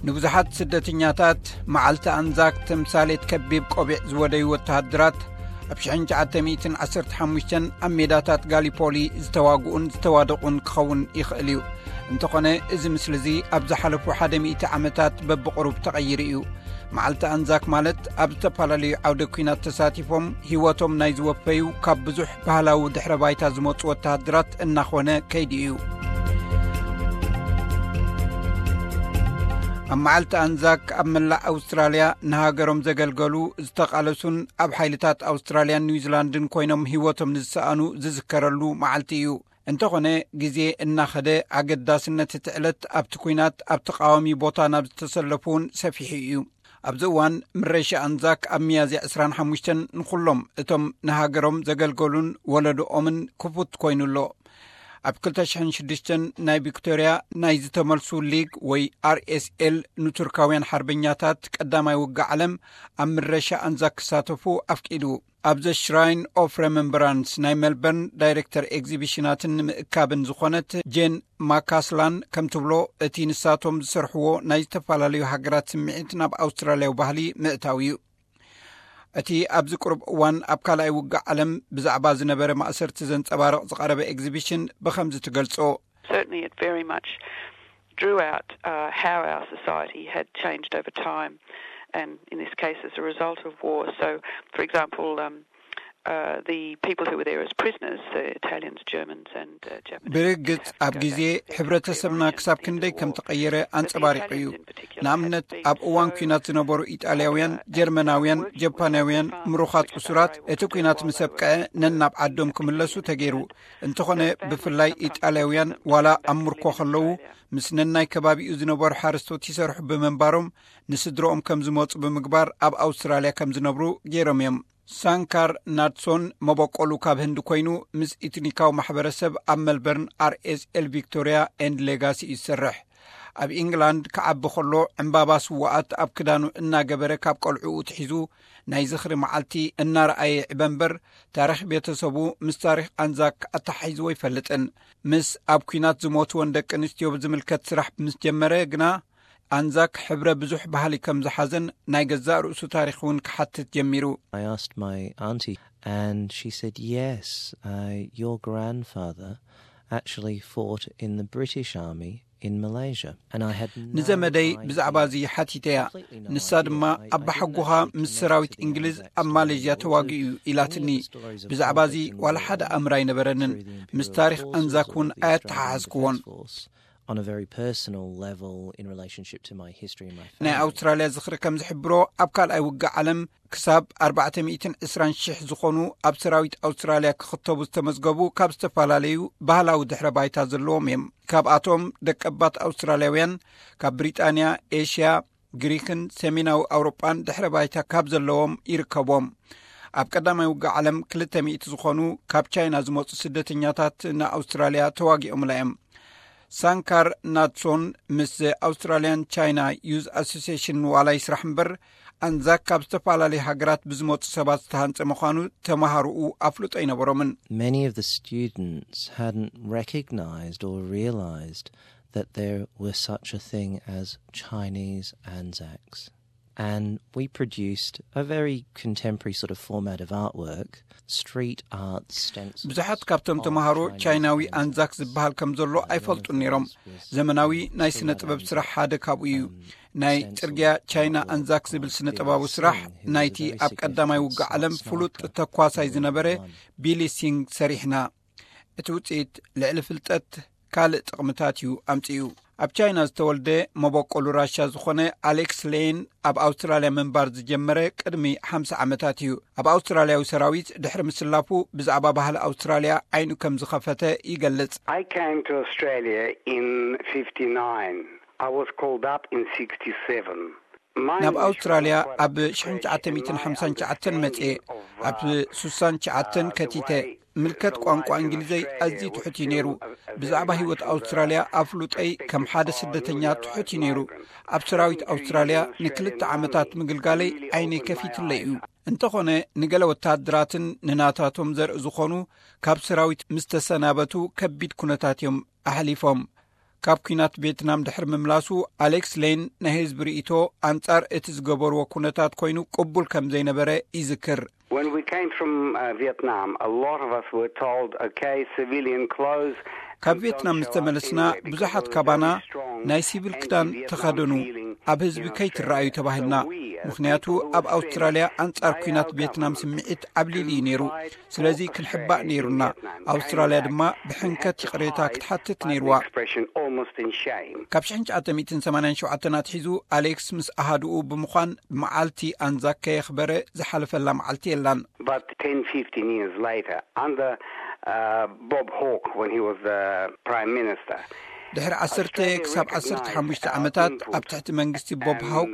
ንብዙሓት ስደተኛታት መዓልቲ ኣንዛክ ተምሳሌት ከቢብ ቆቢዕ ዝወደዩ ወተሃደራት፣ ኣብ ሽሕን ትሽዓተ ሚእትን ዓሰርተ ሓሙሽተን ኣብ ሜዳታት ጋሊፖሊ ዝተዋግኡን ዝተዋደቑን ክኸውን ይኽእል እዩ። እንተኾነ፣ እዚ ምስሊ'ዚ ኣብ ዝሓለፉ ሓደ ሚእቲ ዓመታት በብቕሩብ ተቐይሩ እዩ። መዓልቲ ኣንዛክ ማለት፣ ኣብ ዝተፈላለዩ ዓውደ ኲናት ተሳቲፎም ህይወቶም ናይ ዝወፈዩ ካብ ብዙሕ ባህላዊ ድሕረ ባይታ ዝመጹ ወተሃደራት እናኾነ ከይዱ እዩ። ኣብ መዓልቲ ኣንዛክ ኣብ መላእ ኣውስትራልያ ንሃገሮም ዘገልገሉ፣ ዝተቓለሱን ኣብ ሓይልታት ኣውስትራልያን ኒውዚላንድን ኮይኖም ህይወቶም ንዝሰኣኑ ዝዝከረሉ መዓልቲ እዩ። እንተኾነ፣ ግዜ እናኸደ ኣገዳስነት እቲ ዕለት ኣብቲ ኲናት ኣብ ተቓዋሚ ቦታ ናብ ዝተሰለፉ እውን ሰፊሑ እዩ። ኣብዚ እዋን ምረሻ ኣንዛክ ኣብ ሚያዝያ ዕስራን ሓሙሽተን ንኹሎም እቶም ንሃገሮም ዘገልገሉን ወለዶኦምን ክፉት ኮይኑ ኣሎ። ኣብ ክልተ ሽሕን ሽዱሽተን ናይ ቪክቶርያ ናይ ዝተመልሱ ሊግ ወይ ኣርኤስኤል ንቱርካውያን ሓርበኛታት ቀዳማይ ውግእ ዓለም ኣብ ምረሻ ኣንዛክ ክሳተፉ ኣፍቂዱ። ኣብ ዘ ሽራይን ኦፍ ረመምበራንስ ናይ ሜልበርን ዳይሬክተር ኤግዚቢሽናትን ንምእካብን ዝኾነት ጄን ማካስላን ከም ትብሎ፣ እቲ ንሳቶም ዝሰርሕዎ ናይ ዝተፈላለዩ ሃገራት ስምዒት ናብ ኣውስትራልያዊ ባህሊ ምእታው እዩ። እቲ ኣብዚ ቅሩብ እዋን ኣብ ካልኣይ ውግእ ዓለም ብዛዕባ ዝነበረ ማእሰርቲ ዘንጸባርቕ ዝቐረበ ኤግዚቢሽን ብኸምዚ ትገልጾ። Certainly, it very much drew out uh, how our society had changed over time, and in this case, as a result of war. So, for example, um, uh, the people who were there as prisoners, the Italians, Germans, and uh, Japanese. ብርግጽ ኣብ ግዜ ሕብረተሰብና ክሳብ ክንደይ ከም ተቐየረ ኣንጸባሪቑ እዩ። ንኣብነት፣ ኣብ እዋን ኲናት ዝነበሩ ኢጣልያውያን፣ ጀርመናውያን፣ ጀፓናውያን ምሩኻት እሱራት፣ እቲ ኲናት ምስ ኣብቅዐ ነናብ ዓዶም ክምለሱ ተገይሩ። እንተኾነ፣ ብፍላይ ኢጣልያውያን ዋላ ኣብ ምርኮ ከለዉ ምስ ነናይ ከባቢኡ ዝነበሩ ሓረስቶት ይሰርሑ ብምንባሮም፣ ንስድረኦም ከም ዝመጹ ብምግባር ኣብ ኣውስትራልያ ከም ዝነብሩ ገይሮም እዮም። ሳንካር ናድሶን መበቆሉ ካብ ህንዲ ኮይኑ፣ ምስ ኢትኒካዊ ማሕበረሰብ ኣብ መልበርን ኣርኤስኤል ቪክቶርያ ኤንድ ሌጋሲ እዩ ዝሰርሕ። ኣብ ኢንግላንድ ክዓቢ ከሎ፣ ዕምባባ ስዋኣት ኣብ ክዳኑ እናገበረ ካብ ቆልዕኡ ትሒዙ ናይ ዝኽሪ መዓልቲ እናረኣየ ይዕበ እምበር፣ ታሪኽ ቤተሰቡ ምስ ታሪኽ ኣንዛክ ኣተሓሒዝዎ ኣይፈልጥን። ምስ ኣብ ኲናት ዝሞትወን ደቂ ኣንስትዮ ብዝምልከት ስራሕ ምስ ጀመረ ግና፣ ኣንዛክ ሕብረ ብዙሕ ባህሊ ከም ዝሓዘን ናይ ገዛእ ርእሱ ታሪኽ እውን ክሓትት ጀሚሩ። I asked my auntie, and she said, "Yes, uh, your grandfather actually fought in the British Army in Malaysia." And I had no ንዘመደይ idea, ብዛዕባ እዚ ሓቲተያ። completely no ንሳ idea. ድማ I- I ኣባሓጎኻ didn't actually ምስ connect ሰራዊት the እንግሊዝ Anzacs ኣብ to the ማሌዥያ war. So ተዋጊኡ እዩ any of ኢላትኒ። the stories of ብዛዕባ እዚ conflict and ዋላ war ሓደ ኣምር ኣይነበረንን። through the ምስ imperial ታሪኽ forces ኣንዛክ እውን or the Australian ኣየተሓሓዝክዎን። Defence Force on a very personal level in relationship to my history and my ናይ family. ኣውስትራልያ ዝኽሪ ከም ዝሕብሮ፣ ኣብ ካልኣይ ውግእ ዓለም ክሳብ ኣርባዕተ ሚእትን ዕስራን ሽሕ ዝኾኑ ኣብ ሰራዊት ኣውስትራልያ ክኽተቡ ዝተመዝገቡ ካብ ዝተፈላለዩ ባህላዊ ድሕረ ባይታ ዘለዎም እዮም። ካብኣቶም ደቀባት ኣውስትራልያውያን ካብ ብሪጣንያ፣ ኤሽያ፣ ግሪክን ሰሜናዊ ኣውሮጳን ድሕረ ባይታ ካብ ዘለዎም ይርከቦም። ኣብ ቀዳማይ ውግእ ዓለም ክልተ ሚእቲ ዝኾኑ ካብ ቻይና ዝመጹ ስደተኛታት ንኣውስትራልያ ተዋጊኦምላ እዮም። ሳንካር ናትሶን ምስ ኣውስትራልያን ቻይና ዩዝ ኣሶሲሽን ዋላ ይስራሕ እምበር፣ ኣንዛክ ካብ ዝተፈላለዩ ሃገራት ብዝመጹ ሰባት ዝተሃንጸ ምዃኑ ተመሃሮኡ ኣፍልጦ ኣይነበሮምን። Many of the students hadn't recognized or realized that there was such a thing as Chinese Anzacs. And we produced a very contemporary sort of format of artwork, street art stencils. ብዙሓት ካብቶም ተምሃሮ ቻይናዊ ኣንዛክ ዝበሃል ከም ዘሎ ኣይፈልጡን ነይሮም። ዘመናዊ ናይ ስነ ጥበብ ስራሕ ሓደ ካብኡ እዩ። ናይ ጽርግያ ቻይና ኣንዛክ ዝብል ስነ ጥበባዊ ስራሕ ናይቲ ኣብ ቀዳማይ ውግእ ዓለም ፍሉጥ ተኳሳይ ዝነበረ ቢሊ ሲንግ ሰሪሕና። እቲ ውጽኢት ልዕሊ ፍልጠት ካልእ ጥቕምታት እዩ ኣምጺኡ። ኣብ ቻይና ዝተወልደ መበቆሉ ራሻ ዝኾነ ኣሌክስ ሌን ኣብ ኣውስትራልያ ምንባር ዝጀመረ ቅድሚ ሓምሳ ዓመታት እዩ። ኣብ ኣውስትራልያዊ ሰራዊት ድሕሪ ምስላፉ ብዛዕባ ባህሊ ኣውስትራልያ ዓይኑ ከም ዝኸፈተ ይገልጽ። I came to Australia in fifty-nine. I was called up in sixty-seven. My ናብ initial ኣውስትራልያ inquiry ኣብ was ሽሕን ትሽዓተ ሚእትን ሓምሳን ትሽዓተን መጽየ። ኣብ ሱሳን ትሽዓተን ከቲተ። ምልከት ቋንቋ እንግሊዘይ ኣዝዩ ትሑት እዩ ነይሩ። ብዛዕባ ህይወት ኣውስትራልያ ኣፍሉጠይ ከም ሓደ ስደተኛ ትሑት እዩ ነይሩ። ኣብ ሰራዊት ኣውስትራልያ ንክልተ ዓመታት ምግልጋለይ ዓይነይ ከፊቱለይ እዩ። እንተኾነ፣ ንገለ ወተሃደራትን ንናታቶም ዘርኢ ዝኾኑ ካብ ሰራዊት ምስ ተሰናበቱ ከቢድ ኩነታት እዮም ኣሕሊፎም። ካብ ኲናት ቬትናም ድሕሪ ምምላሱ፣ ኣሌክስ ሌን ናይ ህዝቢ ርእይቶ ኣንጻር እቲ ዝገበርዎ ኩነታት ኮይኑ ቅቡል ከም ዘይነበረ ይዝክር። When we came from uh, Vietnam, a lot of us were told, okay, civilian clothes. ካብ ቬትናም ምስ ተመለስና፣ ብዙሓት ካባና ናይ ሲቪል ክዳን ተኸደኑ፣ ኣብ ህዝቢ ከይትረኣዩ ተባሂልና። ምኽንያቱ ኣብ ኣውስትራልያ ኣንጻር ኲናት ቬትናም ስምዒት ዓብሊሉ እዩ ነይሩ። ስለዚ ክንሕባእ ነይሩና። ኣውስትራልያ ድማ ብሕንከት ይቕሬታ ክትሓትት ነይርዋ። ካብ ሽሕን ትሽዓተ ሚእትን ሰማንያን ሸውዓተን ኣትሒዙ ኣሌክስ ምስ ኣሃድኡ ብምዃን ብመዓልቲ ኣንዛክ ከየኽበረ ዝሓለፈላ መዓልቲ የላን። But ten, fifteen years later, under uh, Bob Hawke, when he was the Prime Minister, ድሕሪ ዓሰርተ ክሳብ ዓሰርተ ሓሙሽተ ዓመታት ኣብ ትሕቲ መንግስቲ ቦብ ሃውክ፣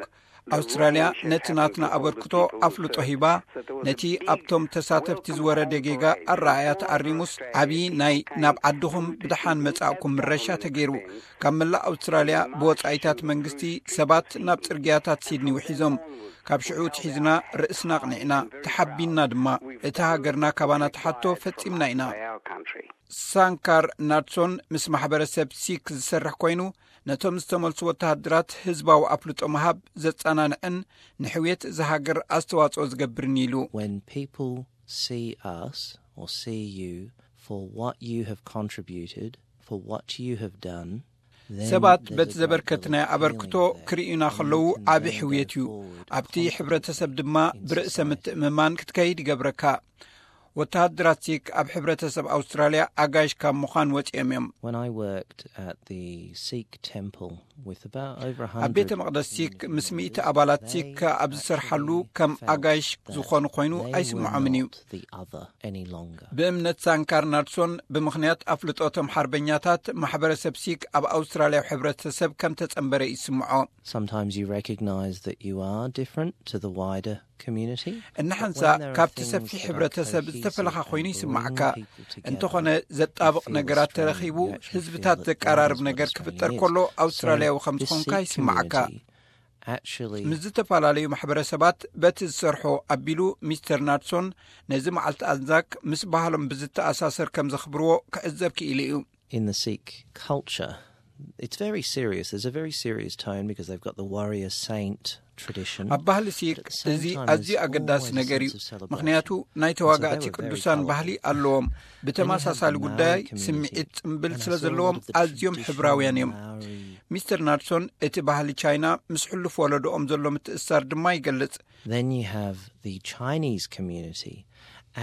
ኣውስትራልያ ነቲ ናትና ኣበርክቶ ኣፍልጦ ሂባ፣ ነቲ ኣብቶም ተሳተፍቲ ዝወረደ ጌጋ ኣረኣእያ ተኣሪሙስ፣ ዓብዪ ናይ ናብ ዓድኹም ብደሓን መጻእኩም ምረሻ ተገይሩ። ካብ መላእ ኣውስትራልያ ብወጻኢታት መንግስቲ ሰባት ናብ ጽርግያታት ሲድኒ ውሒዞም። ካብ ሽዑ ትሒዝና ርእስና ኣቕኒዕና፣ ተሓቢንና ድማ። እቲ ሃገርና ካባና ተሓቶ ፈጺምና ኢና። ሳንካር ናድሶን ምስ ማሕበረሰብ ሲክ ዝሰርሕ ኮይኑ፣ ነቶም ዝተመልሱ ወተሃደራት ህዝባዊ ኣፍልጦ ምሃብ ዘጸናንዕን ንሕውየት እዚ ሃገር ኣስተዋጽኦ ዝገብርን ኢሉ። When people see us or see you for what you have contributed, for what you have done, then ሰባት there's በቲ a great ዘበርከትናዮ deal of ኣበርክቶ feeling there. ክርእዩና And you ከለዉ can ዓቢ then go ሕውየት እዩ። forward ኣብቲ ሕብረተሰብ ድማ in ብርእሰ society. ምትእምማን ክትከይድ ይገብረካ። ወተሃደራት ሲክ ኣብ ሕብረተሰብ ኣውስትራልያ ኣጋይሽ ካብ ምዃን ወጺኦም እዮም። When I worked at the Sikh temple with about over a ኣብ ቤተ hundred መቕደስ ሲክ ምስ ሚእቲ community ኣባላት leaders, ሲክ they ኣብ ዝሰርሓሉ actually ከም felt ኣጋይሽ that ዝኾኑ ኮይኑ they were ኣይስምዖምን እዩ። not the other any longer. ብእምነት ሳንካር ናድሶን ብምኽንያት ኣፍልጦቶም ሓርበኛታት ማሕበረሰብ ሲክ ኣብ ኣውስትራልያዊ ሕብረተሰብ ከም ተጸንበረ ይስምዖ። Sometimes you recognize that you are different to the wider community. እናሓንሳ But when there are ካብቲ things ሰፊሕ that are ሕብረተሰብ cohesive ዝተፈለኻ and ኮይኑ bring ይስማዓካ። people together, እንተኾነ you ዘጣብቕ feel ነገራት Australian, ተረኺቡ you actually feel ህዝብታት that ዘቀራርብ that is what ነገር Australia ክፍጠር is. ከሎ So ኣውስትራልያዊ ከም this ዝኾንካ Sikh ይስማዓካ። community actually ምስ ዝተፈላለዩ ማሕበረሰባት በቲ ዝሰርሖ ኣቢሉ፣ ሚስተር ናድሶን ነዚ መዓልቲ ኣንዛክ ምስ ባህሎም ብዝተኣሳሰር ከም ዘኽብርዎ ክዕዘብ ክኢሉ እዩ። In the Sikh culture, it's very serious. There's a very serious tone because they've got the warrior saint tradition. ኣብ ባህሊ ሲክ እዚ ኣዝዩ ኣገዳሲ ነገር እዩ። ምኽንያቱ ናይ ተዋጋእቲ ቅዱሳን ባህሊ ኣለዎም። ብተመሳሳሊ ጉዳይ ስምዒት ጽምብል ስለ ዘለዎም ኣዝዮም ሕብራውያን እዮም። ሚስተር ናድሶን እቲ ባህሊ ቻይና ምስ ሕሉፍ ወለዶኦም ዘሎ ምትእስሳር ድማ ይገልጽ። Then you have the Chinese community,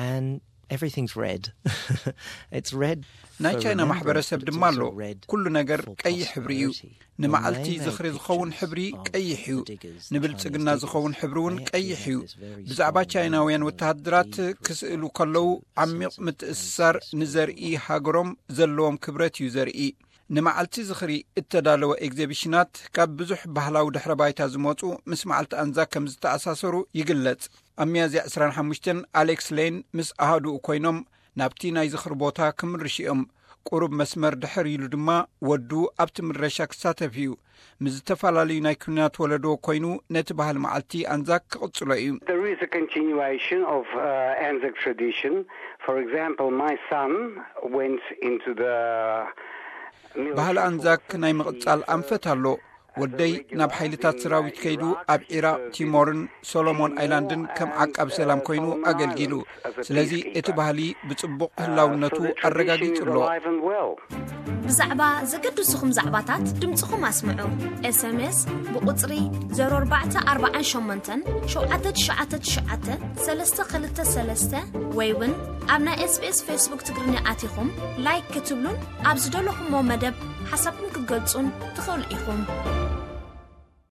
and everything's red. It's red. ናይ ቻይና ማሕበረሰብ ድማ ኣሎ። ኩሉ ነገር ቀይሕ ሕብሪ እዩ። ንመዓልቲ ዝኽሪ ዝኸውን ሕብሪ ቀይሕ እዩ። ንብልጽግና ዝኸውን ሕብሪ እውን ቀይሕ እዩ። ብዛዕባ ቻይናውያን ወተሃደራት ክስእሉ ከለዉ ዓሚቕ ምትእስሳር ንዘርኢ ሃገሮም ዘለዎም ክብረት እዩ ዘርኢ። ንመዓልቲ ዝኽሪ እተዳለወ ኤግዚቢሽናት ካብ ብዙሕ ባህላዊ ድሕረ ባይታ ዝመጹ ምስ መዓልቲ ኣንዛክ ከም ዝተኣሳሰሩ ይግለጽ። ኣብ ሚያዝያ ዕስራን ሓሙሽተን ኣሌክስ ሌን ምስ ኣሃዱኡ ኮይኖም ናብቲ ናይ ዝኽሪ ቦታ ክምርሹ እዮም። ቁሩብ መስመር ድሕር ኢሉ ድማ ወዱ ኣብቲ ምረሻ ክሳተፍ እዩ። ምስ ዝተፈላለዩ ናይ ኩናት ወለዶ ኮይኑ ነቲ ባህሊ መዓልቲ ኣንዛክ ክቕጽሎ እዩ። There is a continuation of uh, Anzac tradition. For example, my son went into the ባህሊ ኣንዛክ ናይ ምቕጻል ኣንፈት ኣሎ። ወደይ ናብ ሓይልታት ሰራዊት ከይዱ ኣብ ዒራቕ፣ ቲሞርን ሶሎሞን ኣይላንድን ከም ዓቃብ ሰላም ኮይኑ ኣገልጊሉ። ስለዚ እቲ ባህሊ ብጽቡቕ ህላውነቱ ኣረጋጊጹ ኣሎ። ብዛዕባ ዘገድስኹም ዛዕባታት ድምፅኹም ኣስምዑ። ኤስኤምኤስ ብቁፅሪ ዜሮ ኣርባዕተ ኣርባዓን ሸሞንተን ሸውዓተ ትሽዓተ ትሽዓተ ሰለስተ ክልተ ሰለስተ ወይ እውን ኣብ ናይ ኤስቢኤስ ፌስቡክ ትግርኛ ኣቲኹም ላይክ ክትብሉን ኣብ ዝደለኹሞ መደብ ሓሳብኩም ክትገልጹን ትኽእሉ ኢኹም።